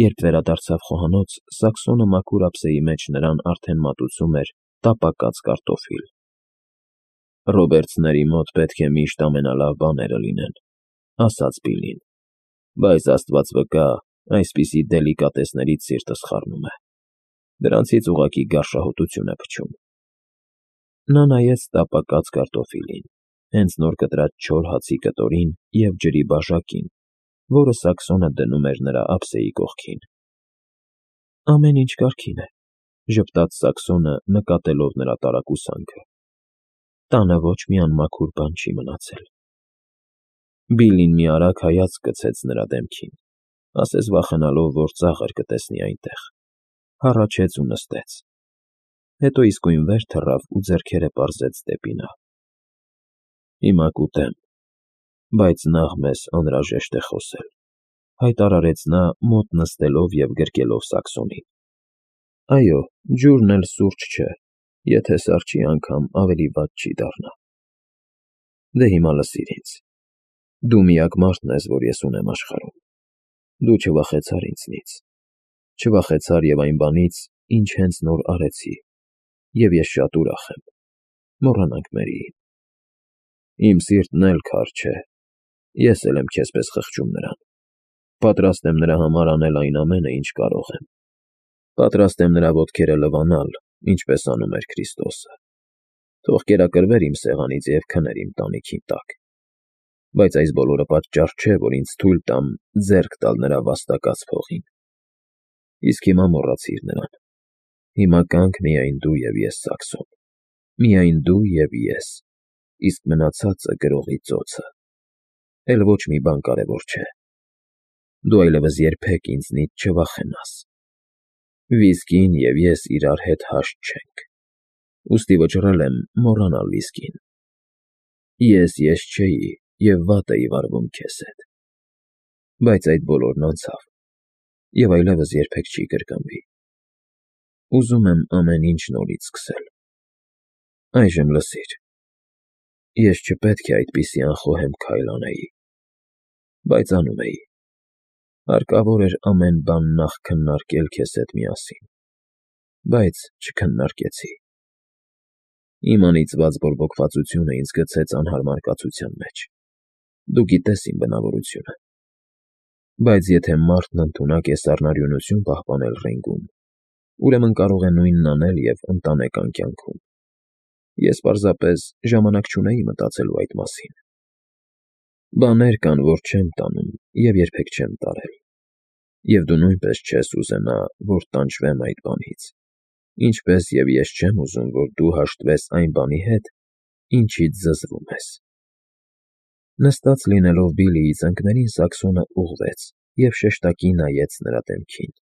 Երբ վերադարձավ խոհանոց, Սաքսոնը մաքուր ափսեի մեջ նրան արդեն մատուցում էր տապակած կարտոֆիլ։ «Ռոբերտսների մոտ պետք է միշտ ամենալավ բաները լինեն», ասաց Բիլլին, բայց Աստված վկա, այսպիսի դելիկատեսներից սիրտս խառնում է։ Դրանցից ուղղակի գարշահոտություն է փչում։ Նա նայեց տապակած կարտոֆիլին, հենց նոր կտրած չոր հացի կտորին և ջրի բաժակին, որը Սաքսոնը դնում էր նրա ափսեի կողքին։ «Ամեն ինչ կարգին է», ժպտաց Սաքսոնը, նկատելով նրա տարակուսանքը։ «Տանը ոչ մի անմաքուր բան չի մնացել»։ Բիլլին մի արագ հայացք գցեց նրա դեմքին, ասես վախենալով, որ ծաղր կտեսնի այնտեղ, հառաչեց ու նստեց։ Հետո իսկույն վեր թռավ ու ձեռքերը պարզեց դեպի նա։ «Հիմա կուտեմ, բայց նախ մեզ անհրաժեշտ է խոսել», հայտարարեց նա, մոտ նստելով և գրկելով Սաքսոնին։ «Այո, ջուրն էլ սուրճ չէ, եթե սառչի անգամ ավելի վատ չի դառնա։ Դե հիմա լսիր ինձ. դու միակ մարդն ես, որ ես ունեմ աշխարհում։ Դու չվախեցար ինձնից, չվախեցար և այն բանից, ինչ հենց նոր արեցի, և ես շատ ուրախ եմ։ Մոռանանք Մերիին։ Իմ սիրտն էլ քար չէ, ես էլ եմ քեզ պես խղճում նրան։ Պատրաստ եմ նրա համար անել այն ամենը, ինչ կարող եմ։ Պատրաստ եմ նրա ոտքերը լվանալ, ինչպես անում էր Քրիստոսը։ Թող կերակրվեր իմ սեղանից և քներ իմ տանիքի տակ։ Բայց այս բոլորը պատճառ չէ, որ ինձ թույլ տամ ձեռք տալ նրա վաստակած փողին։ Իսկ հիմա մոռացիր նրան։ Հիմա կանք միայն դու և ես, Սաքսոն։ Միայն դու և ես, իսկ մնացածը գրողի ծոցը։ Էլ ոչ մի բան կարևոր չէ։ Դու այլևս երբեք ինձնից չվախենաս։ Վիսկին և ես իրար հետ հաշտ չենք, ուստի վճռել եմ մոռանալ վիսկին։ Ես չէի և վատ էի վարվում քեզ հետ։ Բայց այդ բոլորն անցավ և այլևս երբեք չի կրկնվի։ Ուզում եմ ամեն ինչ նորից սկսել։ Այժմ լսիր. ես չպետք է այդպիսի անխոհեմ քայլ անեի, բայց անում էի։ Հարկավոր էր ամեն բան նախ քննարկել քեզ հետ միասին, բայց չքննարկեցի։ Իմ անիծված բորբոքվածությունը ինձ գցեց անհարմար կացության մեջ։ Դու գիտես իմ բնավորությունը։ Բայց եթե մարդն ընդունակ է սառնարյունություն պահպանել ռինգում, ուրեմն կարող է նույնն անել և ընտանեկան կյանքում։ Ես պարզապես ժամանակ չունեի մտածելու այդ մասին։ Բաներ կան, որ չեմ տանում և երբեք չեմ տարել։ Եվ դու նույնպես չես ուզենա, որ տանջվեմ այդ բանից, ինչպես և ես չեմ ուզում, որ դու հաշտվես այն բանի հետ, ինչից զզվում ես։ Նստած լինելով Բիլլիի ծնկներին, Սաքսոնը ուղղվեց և շեշտակի նայեց նրա դեմքին։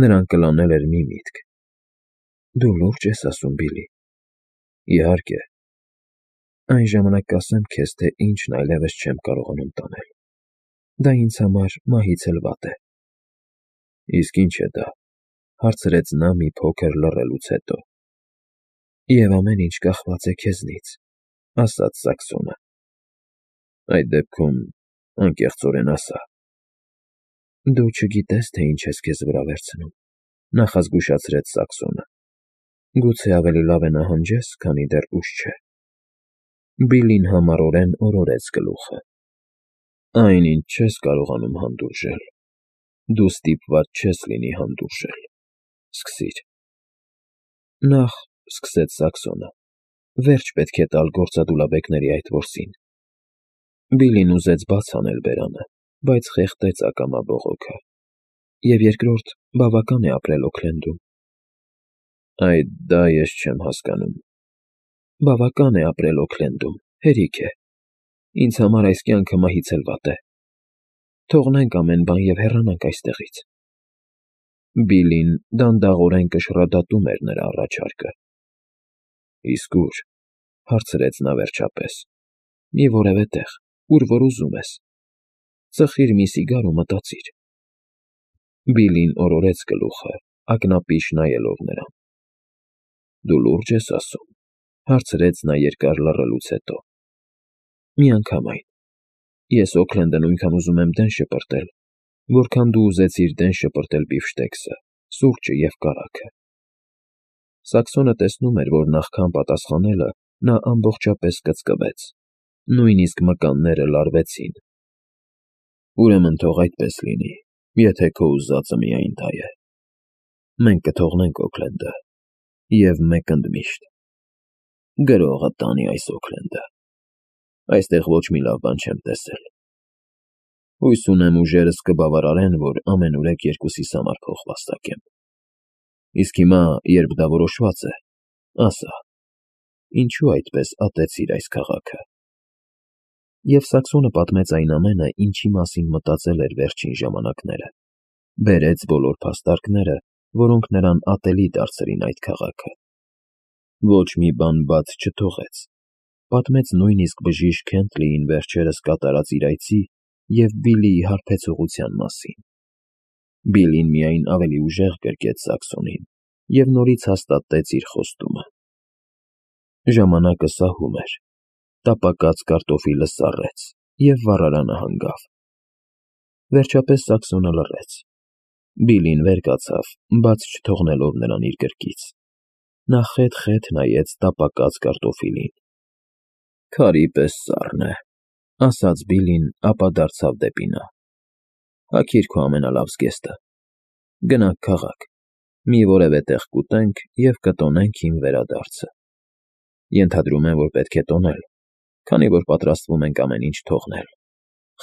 Նրան կլանել էր մի միտք։ Դու լուրջ ես ասում, Բիլլի։ Իհարկե։ Այն ժամանակ կասեմ քեզ, թե ինչն այլևս չեմ կարողանում տանել։ Դա ինձ համար մահից էլ վատ է։ Իսկ ի՞նչ է դա, հարցրեց նա մի փոքր լռելուց հետո։ Եվ ամեն ինչ կախված է քեզնից, ասաց Սաքսոնը։ Այդ դեպքում, անկեղծորեն ասա։ Դու չգիտես, թե ինչ ես քեզ վրա վերցնում, նախազգուշացրեց Սաքսոնը։ Գուցե ավելի լավ է նահանջես, քանի դեռ ուշ չէ։ Բիլլին համառորեն օրորեց գլուխը։ Այն, ինչ չես կարողանում հանդուրժել, դու ստիպված չես լինի հանդուրժել։ Սկսիր։ Նախ, սկսեց Սաքսոնը, վերջ պետք է տալ գործադուլաբեկների այդ որսին։ Բիլլին ուզեց բաց անել բերանը, բայց խեղդեց ակամա բողոքը։ Եվ երկրորդ, բավական է ապրել Օքլենդում։ Դա ես չեմ հասկանում։ Բավական է ապրել Օքլենդում, հերիք է։ Ինձ համար այս կյանքը մահից էլ վատ է։ Թողնենք ամեն բան և հեռանանք այստեղից։ Բիլլին դանդաղորեն կշռադատում էր նրա առաջարկը։ Իսկ ո՞ւր, հարցրեց նա վերջապես։ Մի որևէ տեղ, ուր որ ուզում ես։ Ծխիր մի սիգար ու մտածիր։ Բիլլին օրորեց գլուխը, ակնապիշ նայելով նրան։ Դու լուրջ ես ասում, հարցրեց նա երկար լռելուց հետո։ Միանգամայն։ Ես Օքլենդը նույնքան ուզում եմ դեն շպրտել, որքան դու ուզեցիր դեն շպրտել բիֆշտեքսը, սուրճը և կարագը։ Սաքսոնը տեսնում էր, որ նախքան պատասխանելը նա ամբողջապես կծկվեց, նույնիսկ մկանները լարվեցին։ Ուրեմն թող այդպես լինի, եթե քո ուզածը միայն դա է։ Մենք կթողնենք Օքլենդը, և մեկ ընդմիշտ գրողը տանի այս Օքլենդը։ Այստեղ ոչ մի լավ բան չեմ տեսել։ Հույս ունեմ ուժերս կբավարարեն, որ ամենուրեք երկուսիս համար փող վաստակեմ։ Իսկ հիմա, երբ դա որոշված է, ասա, ինչու այդպես ատեցիր այս քաղաքը։ Եվ Սաքսոնը պատմեց այն ամենը, ինչի մասին մտածել էր վերջին ժամանակները, բերեց բոլոր փաստարկները, որոնք նրան ատելի դարձրին այդ քաղաքը։ Ոչ մի բան բաց չթողեց, պատմեց նույնիսկ բժիշկ Քենթլիին վերջերս կատարած իր այցի և Բիլլիի հարբեցողության մասին։ Բիլլին միայն ավելի ուժեղ գրկեց Սաքսոնին և նորից հաստատեց իր խոստումը։ Ժամանակը սահում էր, տապակած կարտոֆիլը սառեց, և վառարանը հանգավ։ Վերջապես Սաքսոնը լռեց։ Բիլլին վեր կացավ, բաց չթողնելով նրան իր գրկից։ Նա խետ-խետ նայեց տապակած կարտոֆիլին։ Քարի պես սառն է, ասաց Բիլլին, ապա դարձավ դեպի նա։ Հագիր քո ամենալավ զգեստը։ Գնանք քաղաք, մի որևէ տեղ կուտենք և կտոնենք իմ վերադարձը։ Ենթադրում եմ, որ պետք է տոնել, քանի որ պատրաստվում ենք ամեն ինչ թողնել,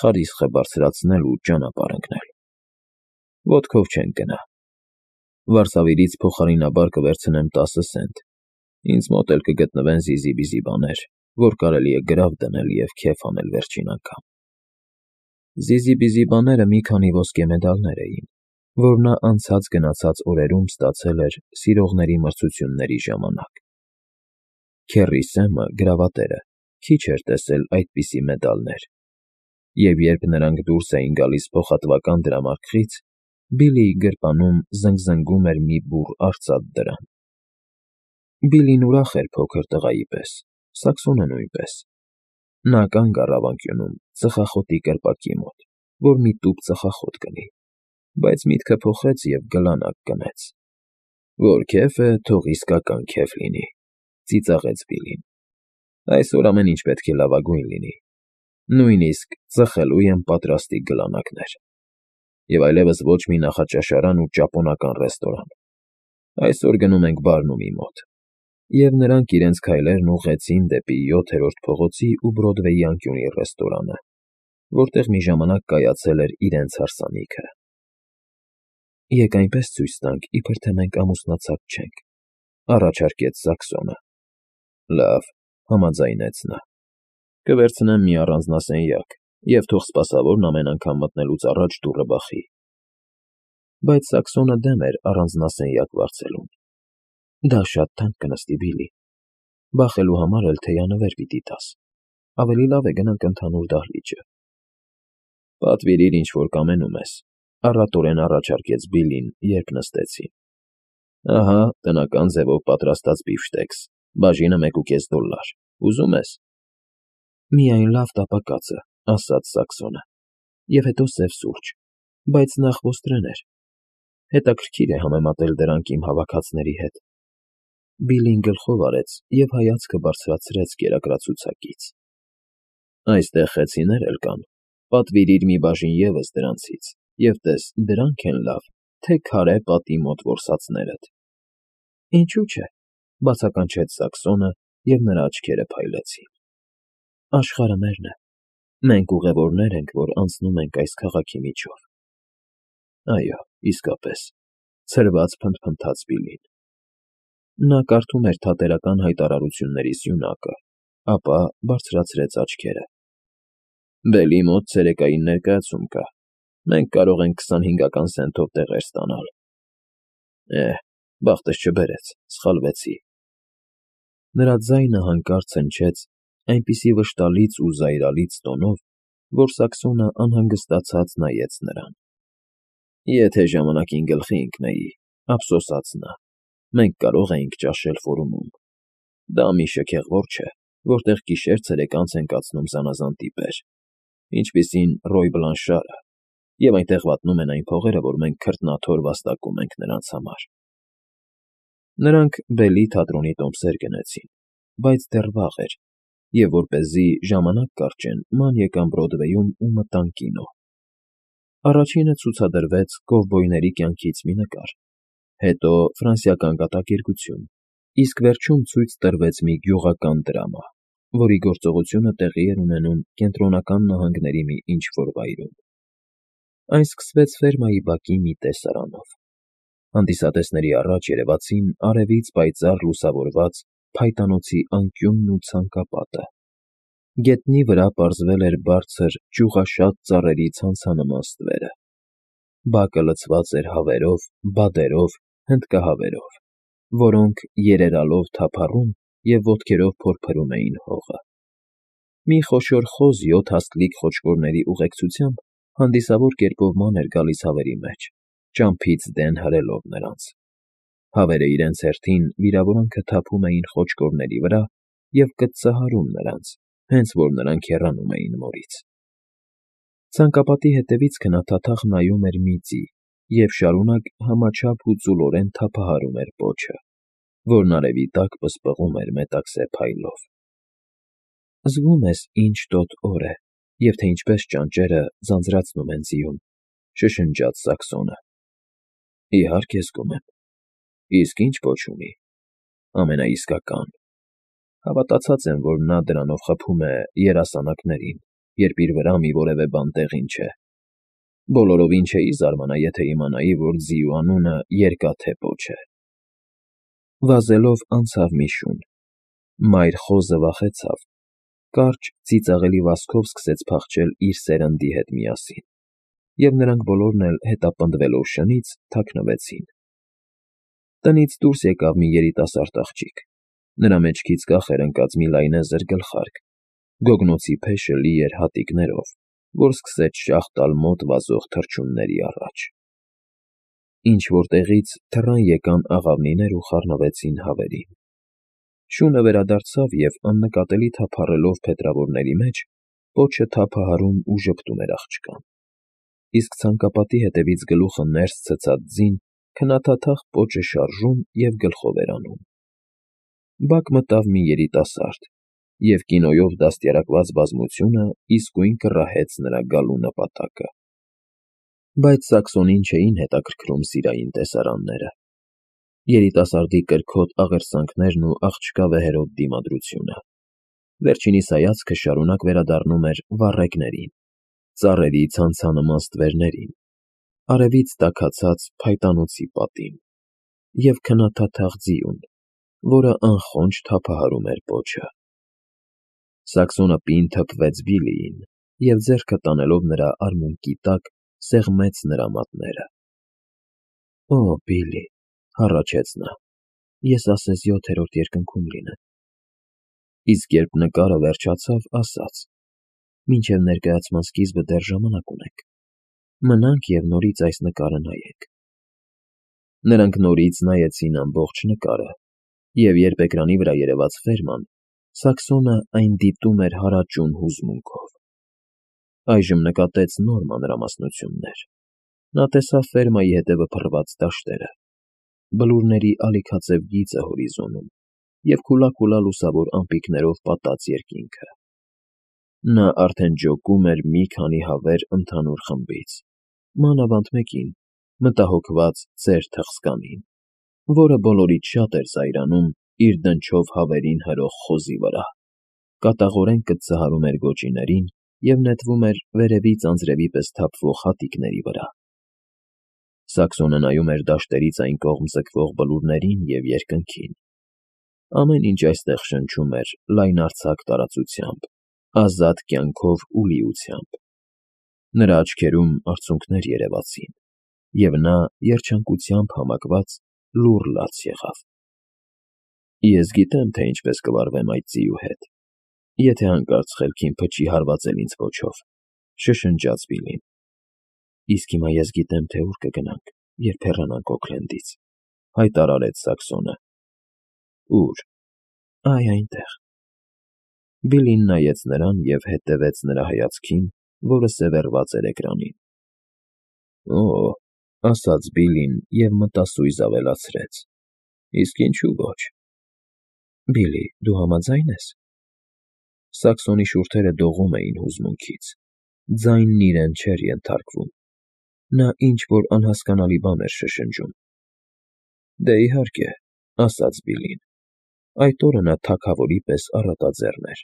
խարիսխը բարձրացնել ու ճանապարհ ընկնել։ Ոտքով չենք գնա։ Վարսավիրից փոխարինաբար կվերցնեմ 10 սենտ։ Ինձ մոտ էլ կգտնվեն զիզի-բիզի բաներ, որ կարելի է գրավ դնել և քեֆ անել վերջին անգամ։ Զիզի-բիզի բաները մի քանի ոսկե մեդալներ էին, որ նա անցած գնացած օրերում ստացել էր սիրողների մրցությունների ժամանակ։ Քեռի Սեմը, գրավատերը, քիչ էր տեսել այդպիսի մեդալներ, և երբ նրանք դուրս էին գալիս փոխհատվական դրամարկղից, Բիլլիի գրպանում զնգզնգում էր մի բուռ արծաթ դրամ։ Բիլլին ուրախ էր փոքր տղայի պես, Սաքսոնը նույնպես։ Նա կանգ առավ անկյունում, ծխախոտի կրպակի մոտ, որ մի տուփ ծխախոտ կնի, բայց միտքը փոխեց և գլանակ կնեց։ Որ քեֆ է, թող իսկական քեֆ լինի, ծիծաղեց Բիլլին։ Այսօր ամեն ինչ պետք է լավագույն լինի, նույնիսկ ծխելու եմ պատրաստի գլանակներ։ Եվ այլևս ոչ մի նախաճաշարան ու ճապոնական ռեստորան։ Այսօր գնում ենք Բարնումի մոտ։ Եվ նրանք իրենց քայլերն ուղղեցին դեպի 7-րդ փողոցի ու Բրոդվեյի անկյունի ռեստորանը, որտեղ մի ժամանակ կայացել էր իրենց հարսանիքը։ Եկ այնպես ցույց տանք, իբր թե մենք ամուսնացած չենք, առաջարկեց Սաքսոնը։ Լավ, համաձայնեց նա։ Կվերցնեմ մի առանձնասենյակ, և թող սպասավորն ամեն անգամ մտնելուց առաջ դուռը բախի։ Բայց Սաքսոնը դեմ էր առանձնասենյակ վարձելուն։ Դա շատ թանկ կնստի, Բիլլի։ Բախելու համար էլ թեյանվեր պիտի տաս։ Ավելի լավ է գնանք ընդհանուր դահլիճը։ Պատվիրիր, ինչ որ կամենում ես, առատորեն առաջարկեց Բիլլին, երբ նստեցին։ Ահա, տնական ձևով պատրաստած բիֆշտեքս, բաժինը $1.5։ Ուզում ես։ Միայն լավ տապակածը, ասաց Սաքսոնը, և հետո սև սուրճ, բայց նախ ոստրեներ։ Հետաքրքիր է համեմատել դրանք իմ հավաքածների հետ։ Բիլլին գլխով արեց և հայացքը բարձրացրեց կերակրացուցակից։ Այստեղ խեցիներ էլ կան, պատվիրիր մի բաժին ևս դրանցից, և տես, դրանք են լավ, թե քարե պատի մոտ որսածներդ։ Ինչու՞ չէ, բացականչեց Սաքսոնը, և նրա աչքերը փայլեցին։ Աշխարհը մերն է։ Մենք ուղևորներ ենք, որ անցնում ենք այս քաղաքի միջով։ Այո, իսկապես, ցրված փնթփնթաց Բիլլին։ Նա կարդում էր Թատերական հայտարարությունների սյունակը, ապա բարձրացրեց աչքերը։ Բելի մոտ ցերեկային ներկայացում կա։ Մենք կարող ենք 25 սենտով տեղեր ստանալ։ Բախտս չբերեց, սխալվեցի։ Նրա ձայնը հանկարծ հնչեց այնպիսի վշտալից ու զայրալից տոնով, որ Սաքսոնը անհանգստացած նայեց նրան։ Եթե ժամանակին գլխի ընկնեի, ափսոսաց նա, մենք կարող էինք ճաշել ֆորումում։ Դա մի շքեղվոր չէ, որտեղ գիշեր-ցերեկ անց են կացնում զանազան տիպեր, ինչպիսին Ռոյ Բլանշարը, և այնտեղ վատնում են այն փողերը, որ մենք քրտնաթոր վաստակում ենք նրանց համար։ Նրանք Բելի թատրոնի տոմսեր գնեցին, բայց դեռ վաղ էր, և որպեսզի ժամանակ կարճեն, ման եկան Բրոդվեյում ու մտան կինո։ Առաջինը ցուցադրվեց կովբոյների կյանքից մի նկար, հետո ֆրանսիական կատակերգություն, իսկ վերջում ցույց տրվեց մի գյուղական դրամա, որի գործողությունը տեղի էր ունենում Կենտրոնական նահանգների մի ինչ֊որ վայրում։ Այն սկսվեց ֆերմայի բակի մի տեսարանով։ Հանդիսատեսների առաջ երևացին արևից պայծառ լուսավորված փայտանոցի անկյունն ու ցանկապատը։ Գետնի վրա պարզվել էր բարձր ճյուղաշատ ծառերի ցանցանման ստվերը։ Բակը լցված էր հավերով, բադերով, հնդկահավերով, որոնք երերալով թափառում և ոտքերով փորփրում էին հողը։ Մի խոշոր խոզ 7 հաստլիկ խոչկորների ուղեկցությամբ հանդիսավոր կերպով ման էր գալիս հավերի մեջ, ճամփից դեն հրելով նրանց։ Հավերը իրենց հերթին վիրավորանքը թափում էին խոչկորների վրա և կծծահարում նրանց, հենց որ նրանք հեռանում էին մորից։ Ցանկապատի հետևից քնաթաթախ նայում էր մի ձի և շարունակ համաչափ ու ծուլորեն թափահարում էր պոչը, որն արևի տակ պսպղում էր մետաքսե փայլով։ «Զգում ես ինչ տոտ օր է, և թե ինչպես ճանճերը ձանձրացնում են ձիուն», շշնջաց Սաքսոնը։ «Իհարկե զգում եմ։ Իսկ ի՞նչ պոչ ունի»։ «Ամենաիսկական։ Հավատացած եմ, որ նա դրանով խփում է երասանակներին, երբ իր վրա մի որևէ բան տեղին չէ։ Բոլորովին չէի զարմանա, եթե իմանայի, որ ձիու անունը Երկաթե պոչ է»։ Վազելով անցավ մի շուն։ Մայր խոզը վախեցավ, կարճ ծիծաղելի վազքով սկսեց փախչել իր սերնդի հետ միասին, և նրանք բոլորն էլ հետապնդվելով շնից թաքնվեցին։ Տնից դուրս եկավ մի երիտասարդ աղջիկ։ Նրա մեջքից կախ էր ընկած մի լայնեզր գլխարկ, գոգնոցի փեշը լի էր հատիկներով, որ սկսեց շաղ տալ մոտ վազող թռչունների առաջ։ Ինչ֊որ տեղից թռան եկան աղավնիներ ու խառնվեցին հավերին։ Շունը վերադարձավ և, աննկատելի թափառելով փետրավորների մեջ, պոչը թափահարում ու ժպտում էր աղջկան։ Իսկ ցանկապատի հետևից գլուխը ներս ցցած ձին քնաթաթախ պոչը շարժում և գլխով էր անում։ Բակ մտավ մի երիտասարդ, և կինոյով դաստիարակված բազմությունը իսկույն կռահեց նրա գալու նպատակը։ Բայց Սաքսոնին չէին հետաքրքրում սիրային տեսարանները։ Երիտասարդի կրքոտ աղերսանքներն ու աղջկա վեհերոտ դիմադրությունը։ Վերջինիս հայացքը շարունակ վերադառնում էր վառեկներին, ծառերի ցանցանման ստվերներին, արևից տաքացած փայտանոցի պատին և քնաթաթախ ձիուն, որը անխոնջ թափահարում էր պոչը։ Սաքսոնը պինդ թփվեց Բիլիին և, ձեռքը տանելով նրա արմունկի տակ, սեղմեց նրա մատները։ «Օ, Բիլլի», հառաչեց նա, «ես ասես 7-րդ երկնքում լինեմ»։ Իսկ երբ նկարը վերջացավ, ասաց. «Մինչև ներկայացման սկիզբը դեռ ժամանակ ունենք։ Մնանք և նորից այս նկարը նայենք»։ Նրանք նորից նայեցին ամբողջ նկարը, և երբ էկրանի վրա երևաց ֆերման, Սաքսոնը այն դիտում էր հարաճուն հուզմունքով։ Այժմ նկատեց նոր մանրամասնություններ։ Նա տեսավ ֆերմայի հետևը փռված դաշտերը, բլուրների ալիքաձև գիծը հորիզոնում և քուլա լուսավոր ամպիկներով պատած երկինքը։ Նա արդեն ջոկում էր մի քանի հավեր ընդհանուր խմբից, մանավանդ մեկին, մտահոգված ծեր թխսկանին, որը բոլորից շատ էր զայրանում իր դնչով հավերին հրող խոզի վրա, կատաղորեն կծծահարում էր գոճիներին և նետվում էր վերևից անձրևի պես թափվող հատիկների վրա։ Սաքսոնը նայում էր դաշտերից այն կողմ ձգվող բլուրներին և երկնքին։ Ամեն ինչ այստեղ շնչում էր լայնարձակ տարածությամբ, ազատ կյանքով ու լիությամբ։ Նրա աչքերում արցունքներ երևացին, և նա երջանկությամբ համակված լուռ լաց եղավ։ «Ես գիտեմ, թե ինչպես կվարվեմ այդ ձիու հետ, եթե հանկարծ խելքին փչի հարվածել ինձ պոչով», շշնջաց Բիլլին։ «Իսկ հիմա ես գիտեմ, թե ուր կգնանք, երբ հեռանանք Օքլենդից», հայտարարեց Սաքսոնը։ «Ո՞ւր»։ «Այ այնտեղ»։ Բիլլին նայեց նրան և հետևեց նրա հայացքին, որը սևեռված էր էկրանին։ Օ՜, ասաց Բիլին և մտասույզ ավելացրեց. Իսկ ինչու ոչ։ Բիլի, դու համաձա՞յն ես։ Սաքսոնի շուրթերը դողում էին հուզմունքից, ձայնն իրեն չէր ենթարկվում, նա ինչ֊որ անհասկանալի բան էր շշնջում։ Դե, իհարկե, ասաց Բիլին, այդ օրը նա թագավորի պես առատաձեռն էր։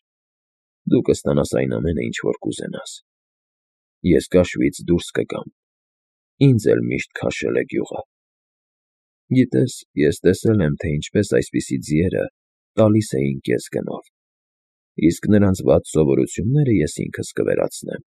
Դու կստանաս այն ամենը, ինչ որ կուզենաս։ Ես կաշվից դուրս կգամ, ինձ էլ միշտ քաշել է գյուղը։ Գիտես, ես տեսել եմ, թե ինչպես այսպիսի ձիերը տալիս էին կես գնով, իսկ նրանց վատ սովորությունները ես ինքս կվերացնեմ։